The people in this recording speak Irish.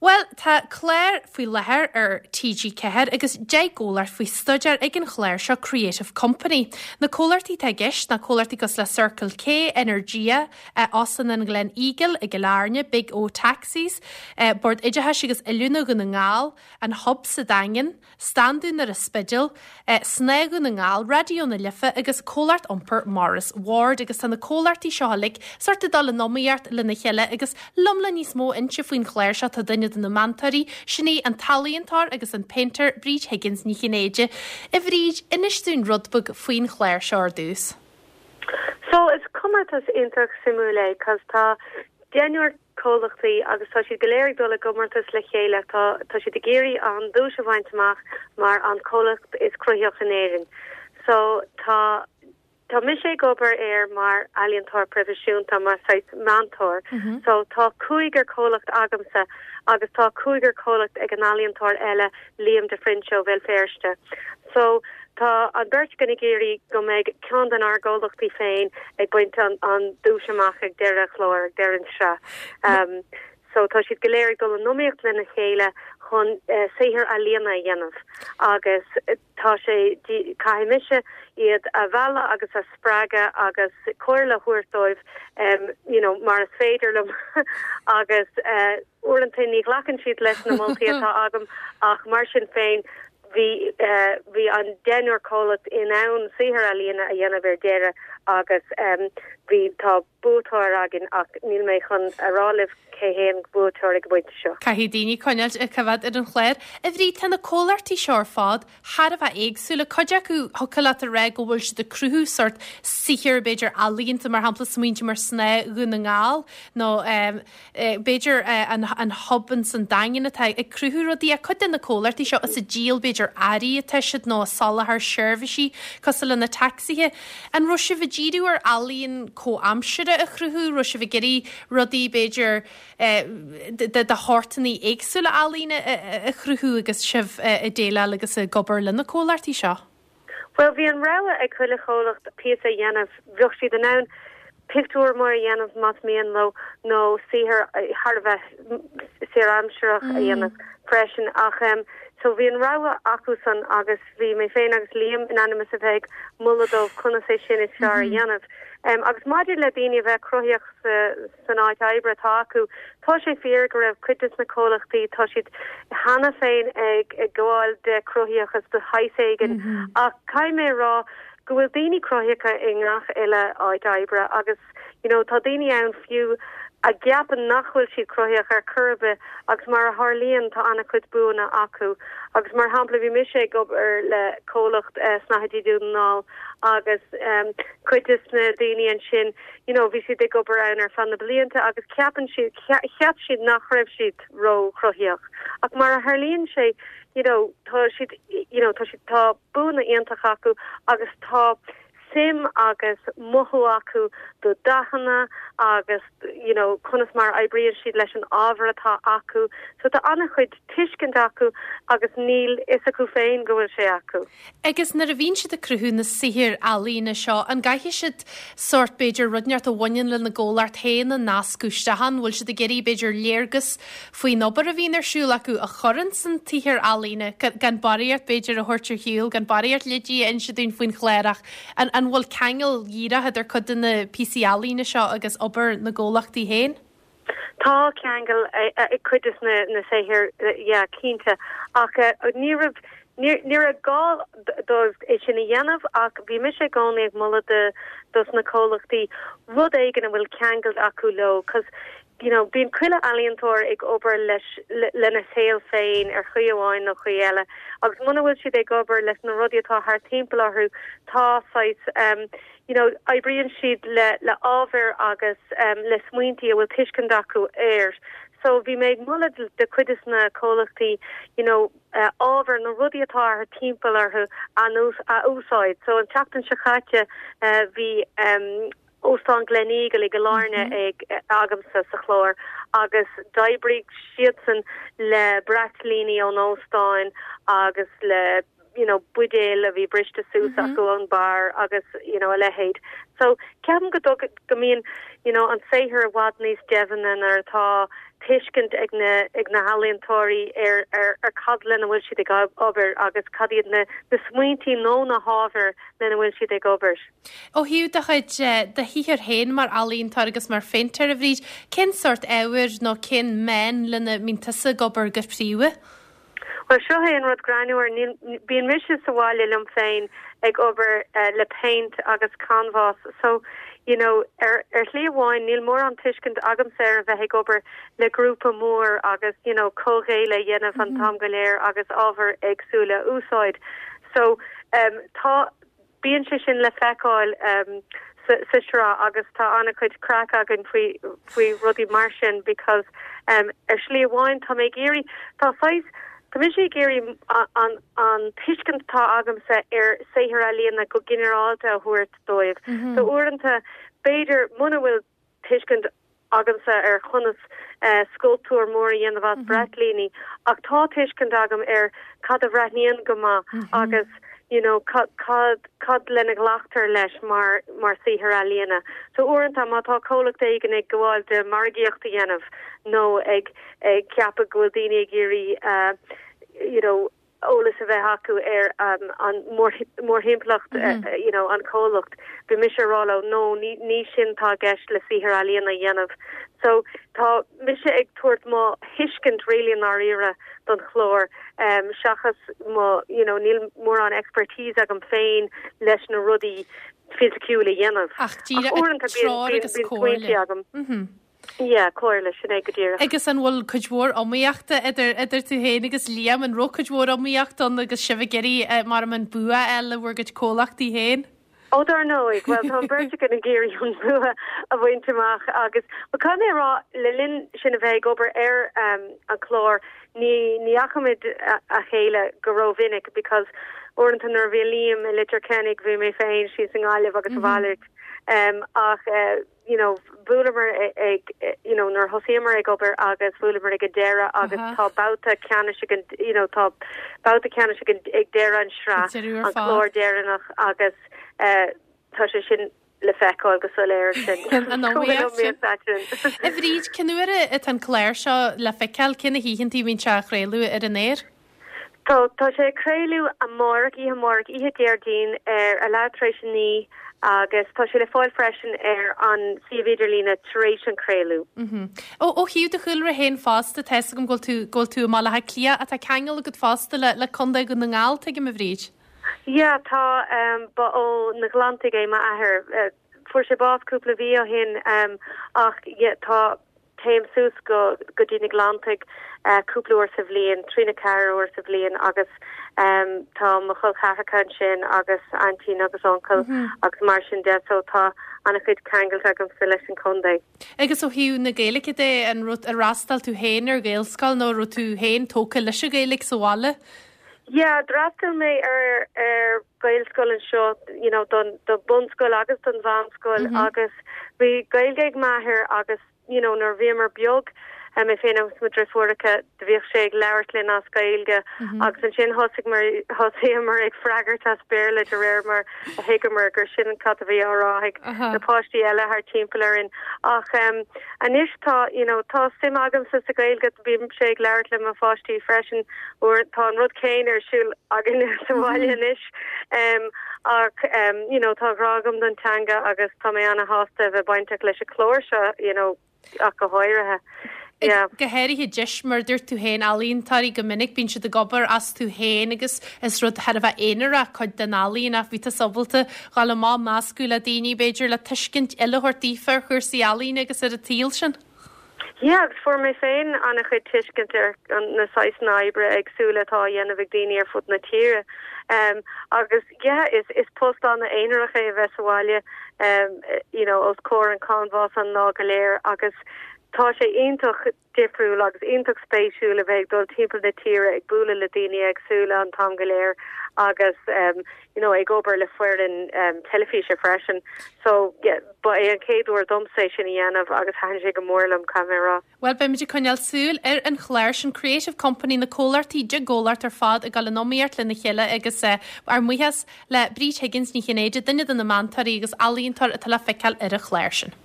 Bhuel, tá clár faoi láthair ar TG4 agus 10 gcomhlacht faoi staidéar ag an chlár seo Creative Company. Na comhlachtaí atá i gceist ná comhlachtaí cosúil le Circle K, Energia, Óstán an Gleneagle i gCill Airne, Big O Taxis, Bord Oideachais agus Oiliúna Dhún na nGall, An Hub sa Daingean, Standún ar an Spidéal, Snáth Dhún na nGall, Raidió na Life agus Comhlacht Iompair Maurice Ward agus tá na comhlachtaí seo uilig sórt ag dul in iomaíocht lena chéile agus liom le níos mó a inse faoin chlár seo tá duine de na meantóirí, sin í an t-ealaíontóir agus an péintéir Bríd Higgins Ní Chinnéide. A Bhríd, inis dúinn rud beag faoin chlár seo ar dtús. So is comórtas iontach suimiúil é 'cause tá deichniúr comhlachtaí agus tá siad go léir ag dul i gcomórtas le chéile. Tá tá siad ag iarraidh an duais a bhaint amach mar an comhlacht is cruthaíoch in Éirinn. So tá tá mise ag obair air mar ealaíontóir proifisiúnta, mar saghas meantóir. So tá cúigear comhlacht agamsa agus tá cúigear comhlacht ag an ealaíontóir eile Liam de Frinse ó Bhéal Feirste. So, tá an bheirt againn ag iarraidh go mbeidh ceann den ár gcomhlachtaí féin ag baint an an duais amach ag deireadh an chláir, ag deireadh an tsraith. So, tá siad go léir ag dul in iomaíocht lena chéile chun saothar ealaíona a dhéanamh agus tá sé, caithfidh mise iad a mhealladh agus a spreagadh agus comhairle a thabhairt dóibh you know mar is féidir liom agus Uaireanta ní ghlacann siad leis na moltaí atá agam ach mar sin féin bhí bhí an deichniúr comhlacht in ann saothar ealaíne a dhéanamh ar deireadh agus bhí tá buaiteoir againn ach níl mé chun a rá libh cé hé an buaiteoir ag an bpointe seo. Caithfidh daoine coinneáilt ag coimhéad ar an chlár. A Bhríd, tá na comhlachtaí seo ar fad thar a bheith éagsúil. Cuid acu, thiocfadh leat a rá go bhfuil siad ag cruthú sórt saothair, b'fhéidir ealaíonta, mar shampla, smaointe mar Snáth Dhún na nGall nó b'fhéidir an Hub ins an Daingean atá ag cruthú rudaí. Ach cuid de na comhlachtaí seo is ag díol b'fhéidir earraí atá siad nó ag soláthar seirbhísí cosúil le na tacsaithe. An raibh sibh ag díriú ar ealaíon comhaimseartha a chruthú? Raibh sibh ag iarraidh rudaí b'fhéidir de shórtanna éagsúla ealaíne a chruthú agus sibh ag déileáil agus ag obair le na comhlachtaí seo? Bhuel, bhí an rogha ag chuile chomhlacht píosa a dhéanamh. Bheadh siad in ann pictiúr mór a dhéanamh más mian leo nó saothar thar a bheith saoraimsearach a dhéanamh freisin. Ach so bhí an rogha acusan agus bhí mé féin agus Liam in ainm is a bheith ag moladh dóibh conas é sin is fearr a dhéanamh. Agus maidir le daoine a bheith cruthaíoch sa san áit oibre atá acu. Tá sé fíor go raibh cuid de na comhlachtaí, tá siad cheana féin ag gabháil de chruthaíochas de shaghas éigin ach caithfidh mé a rá go bhfuil daoine cruthaíocha i ngach uile áit oibre agus you know tá daoine ann fiú a gceapann nach bhfuil siad cruthaíoch ar chor ar bith agus mar a tharlaíonn tá an-chuid buanna acu agus mar shampla bhí mise ag obair le comhlacht Snáthaidí Dhún na nGall agus cuid de na daoine ansin you know bhí siad ag obair ann ar feadh na blianta agus ceapann siad, cheap siad nach raibh siad ró-chruthaíoch ach mar a tharlaíonn sé you know tá siad you know tá siad tá buanna iontach acu agus tá suim agus mothú acu do dathanna agus you know conas mar a oibríonn siad leis an ábhar atá acu so tá an-chuid tuiscint acu agus níl fhios acu féin go bhfuil sé acu. Agus nuair a bhíonn siad ag cruthú na saothair ealaíne seo, an gcaithfidh siad sórt, b'fhéidir, rud inteacht a bhaineann lena gcomhlacht féin a nascadh isteach ann? Bhfuil siad ag iarraidh, b'fhéidir, léargas faoin obair a bhíonn ar siúl acu a chur ins an tsaothar ealaíne, gan barraíocht, b'fhéidir, a thabhairt ar shiúl, gan barraíocht leidí a inse dúinn faoin chlár ach an an bhfuil ceangal dhíreach idir cuid de na píosaí ealaíne seo agus obair na gcomhlachtaí féin? Tá ceangal ag cuid de na saothair, yeah, cinnte, ach ní raibh, ní raibh gá dóibh é sin a dhéanamh ach bhí mise i gcónaí ag moladh do dos na comhlachtaí rud éigin a bhfuil ceangal acu leo 'cause you know bíonn chuile ealaíontóir ag obair leis lena saol féin ar chaoi amháin nó chaoi eile agus muna bhfuil siad ag obair leis na rudaí atá thart timpeall orthu tá saghas you know, oibríonn siad le, le ábhair agus le smaointí a bhfuil tuiscint acu air. So bhí mé ag moladh do chuid de na comhlachtaí, you know, ábhar, na rudaí atá thart timpeall orthu a, a úsáid. So an tseachtain seo caite bhí Óstán Gleneagle i gCill Airne ag, agamsa sa chlár agus d'oibrigh siadsan le braitlíní ón óstán agus le you know, buidéil a bhí briste suas acu ón bar agus, you know, a leithéid. So, ceapaim go dtug, go mbíonn, you know, an saothar i bhfad níos doimhne nuair atá. tuiscint ag na ag na healaíontóirí ar ar ar cad lena bhfuil siad ag obair agus cad iad na na smaointí nó na hábhair lena bhfuil siad ag obair. Ó thaobh do chuid do shaothair féin mar ealaíontóir agus mar phéintéir, a Bhríd, cén sórt ábhair nó cén meán lena mbíonn tusa ag obair go príomha? Bhuel, seo é an rud greannmhar, níl, bíonn mise sa bhaile liom féin ag obair le péint agus canbhás so, you know, ar, ar shlí amháin níl mórán tuiscint agamsa ar a bheith ag obair le grúpa mór agus, you know, comhghéilleadh a dhéanamh an t-am go léir agus ábhair éagsúla a úsáid. So, um, tá, Bíonn sé sin le feiceáil sa sraith agus tá an-chuid craic againn faoi faoi rudaí mar sin because ar shlí amháin tá mé ag iarraidh, tá saghas, tá mise ag iarraidh an an tuiscint atá agamsa ar saothar ealaíona go ginearálta a thabhairt dóibh. So uaireanta b'fhéidir muna bhfuil tuiscint agamsa ar chonas sculptúr mór a dhéanamh as braitlíní ach tá tuiscint agam ar cad a bhreathnaíonn go maith agus you know cad cad lena nglactar leis mar mar saothar ealaíona. So uaireanta má tá comhlacht éigin ag gabháil de margaíocht a dhéanamh nó ag ag ceapadh go bhfuil daoine ag iarraidh you know eolas a bheith acu ar an mórthimpeallacht you know an comhlacht. Bhí mise ag rá leo no ní ní sin atá i gceist le saothar ealaíona a dhéanamh. So tá mise ag tabhairt mo thuiscint really i ndáiríre don chlár seachas mo you know níl mórán expertise agam féin leis na rudaí fisiciúil a dhéanamh. Ach díreach uaireanta bíonn smaointe agam. Yeah, comhairle, sin é go díreach. Agus an bhfuil cuid mhór iomaíochta idir, idir tú féin agus Liam? An raibh cuid mhór iomaíochta ann agus sibh ag iarraidh, mar an bua a fháil le bhur gcuid comhlachtaí féin? Ó, dar ndóigh. Bhuel, tá an bheirt againn ag iarraidh an bua a bhaint amach agus, bhuel, caithfidh mé a rá, le linn sinn a bheith ag obair ar an chlár, ní, ní fhaca muid a chéile go rómhinic because uaireanta nuair a bhí Liam i Leitir Ceanainn, bhí mé féin síos i nGaillimh agus a mhalairt. Ach, you know, bhuaileamar ag, you know, nuair a thosaíomar ag obair agus bhuaileamar ag an deireadh agus tá babhta ceannais ag an, you know, tá babhta ceannais ag an, ag deireadh an sraith, an clár deireanach agus eh, tá sé sin le feiceáil go soiléir ansin. An iomaíocht sin. A Bhríd, cén uair atá an clár seo le feiceáil, cé na hoícheantaí a bhíonn sé á chraoladh ar an aer? Tá, tá sé ag craoladh amárach, oíche amárach, oíche Déardaoin ar a leath tar éis a 9 agus tá sé le fáil freisin ar an suíomh idirlíne tar éis an craoladh. Ó, ó thaobh do chúlra féin fosta, tá 'fhios agam go bhfuil tú, go bhfuil tú i mBaile Átha Cliath ach tá ceangal agat fosta le, le Contae Dhún na nGall, tuigim, a Bhríd? Yeah, tá, ba ó na Gleanntaigh é m'athair. Fuair sé bás cúpla mhí ó shin ach yeah, tá, Téim suas go go dtí na Gleanntaigh cúpla uair sa bhliain, 3 nó 4 uair sa bhliain agus tá mo chol ceathracha ansin agus aintín agus uncail agus mar sin de so tá an-chuid ceangailte agamsa leis an chontae. Agus ó thaobh na Gaeilge de, an raibh, ar fhreastail tú féin ar Ghaelscoil nó an raibh tú féin tógtha leis an Ghaeilge sa bhaile? Yeah, d'fhreastail mé ar ar Gaelscoil anseo, you know, don don bunscoil agus don mheánscoil agus bhí Gaeilge ag m'athair agus, you know, nuair a bhíomar beag, mé féin agus mo dhriofúracha, do bhíodh sé ag labhairt linn as Gaeilge agus ansin thosaigh mar thosaíomar ag freagairt as Béarla de réir mar a thuigeamar gur sin cad a bhí á rá ag na páistí eile thart timpeall orainn. Ach anois tá, you know, tá suim agamsa sa Ghaeilge, bímse ag labhairt le mo pháistí freisin uair, tá an rud céanna ar siúl againne sa bhaile anois. Ach you know tá grá agam don teanga agus tá mé ana-shásta a bheith bainteach leis an chlár seo you know ach go háirithe. Yeah. Go háirithe deis, mar a dúirt tú féin, ealaíontóirí go minic bíonn siad ag obair astu féin agus is rud thar a bheith aonarach cuid den ealaín ach bhí tusa ábalta dhul amach meascadh le daoine b'fhéidir le tuiscint eile a thabhairt daofa ar chúrsaí ealaíne agus ar an tsaol sin. Yeah, agus fuair mé féin an-chuid tuiscint ar na saghsanna oibre éagsúla atá á dhéanamh ag daoine ar fud na tíre. Um, agus yeah, is, is post an-aonarach é a bheith sa bhaile, um, you know, os comhair an canbhás an lá go léir agus tá sé iontach difriúil agus iontach spéisiúil a bheith ag dul timpeall na tíre ag bualadh le daoine éagsúla an t-am go léir agus um, you know, ag obair le foireann um, teilifíse freisin. So, yeah, Ba é an chéad uair domsa é sin a dhéanamh agus thaitin sé go mór liom, caithfidh mé a rá. Bhuel, beimid ag coinneáil súil ar an chlár sin, Creative Company, na comhlachtaí, 10 gcomhlacht ar fad ag dul in iomaíocht lena chéile agus ár mbuíochas le Bríd Higgins Ní Chinnéide, duine de na meantóirí agus ealaíontóir atá le feiceáil ar an chlár sin.